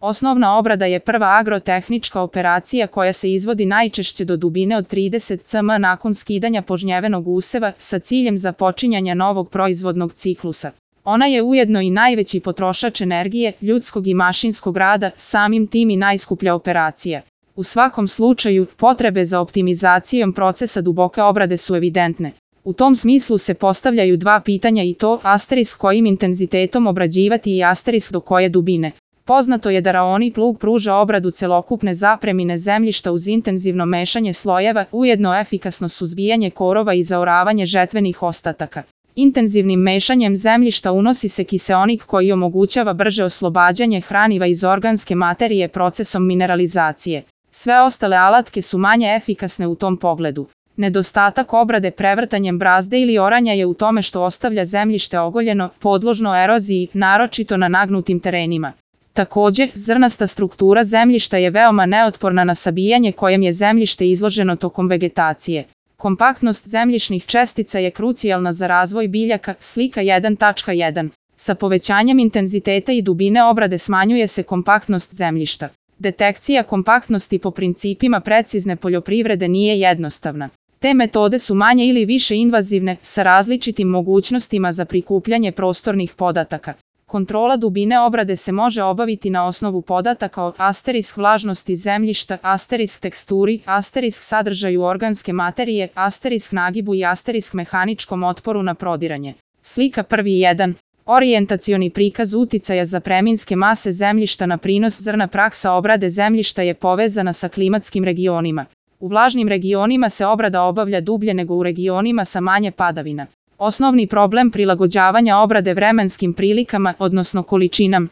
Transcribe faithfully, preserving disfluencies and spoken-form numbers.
Osnovna obrada je prva agrotehnička operacija koja se izvodi najčešće do dubine od trideset centimetara nakon skidanja požnjevenog useva sa ciljem započinjanja novog proizvodnog ciklusa. Ona je ujedno i najveći potrošač energije, ljudskog i mašinskog rada, samim tim i najskuplja operacija. U svakom slučaju, potrebe za optimizacijom procesa duboke obrade su evidentne. U tom smislu se postavljaju dva pitanja i to asterisk kojim intenzitetom obrađivati i asterisk do koje dubine. Poznato je da raoni plug pruža obradu celokupne zapremine zemljišta uz intenzivno mešanje slojeva, ujedno efikasno suzbijanje korova i zaoravanje žetvenih ostataka. Intenzivnim mešanjem zemljišta unosi se kiseonik koji omogućava brže oslobađanje hraniva iz organske materije procesom mineralizacije. Sve ostale alatke su manje efikasne u tom pogledu. Nedostatak obrade prevrtanjem brazde ili oranja je u tome što ostavlja zemljište ogoljeno, podložno eroziji, naročito na nagnutim terenima. Također, zrnasta struktura zemljišta je veoma neotporna na sabijanje kojem je zemljište izloženo tokom vegetacije. Kompaktnost zemljišnih čestica je krucijalna za razvoj biljaka, slika jedan tačka jedan. Sa povećanjem intenziteta i dubine obrade smanjuje se kompaktnost zemljišta. Detekcija kompaktnosti po principima precizne poljoprivrede nije jednostavna. Te metode su manje ili više invazivne, sa različitim mogućnostima za prikupljanje prostornih podataka. Kontrola dubine obrade se može obaviti na osnovu podataka o asterisk vlažnosti zemljišta, asterisk teksturi, asterisk sadržaju organske materije, asterisk nagibu i asterisk mehaničkom otporu na prodiranje. Slika prvi jedan. Orijentacioni prikaz uticaja zapreminske mase zemljišta na prinos zrna. Praksa obrade zemljišta je povezana sa klimatskim regionima. U vlažnim regionima se obrada obavlja dublje nego u regionima sa manje padavina. Osnovni problem prilagođavanja obrade vremenskim prilikama, odnosno količinama,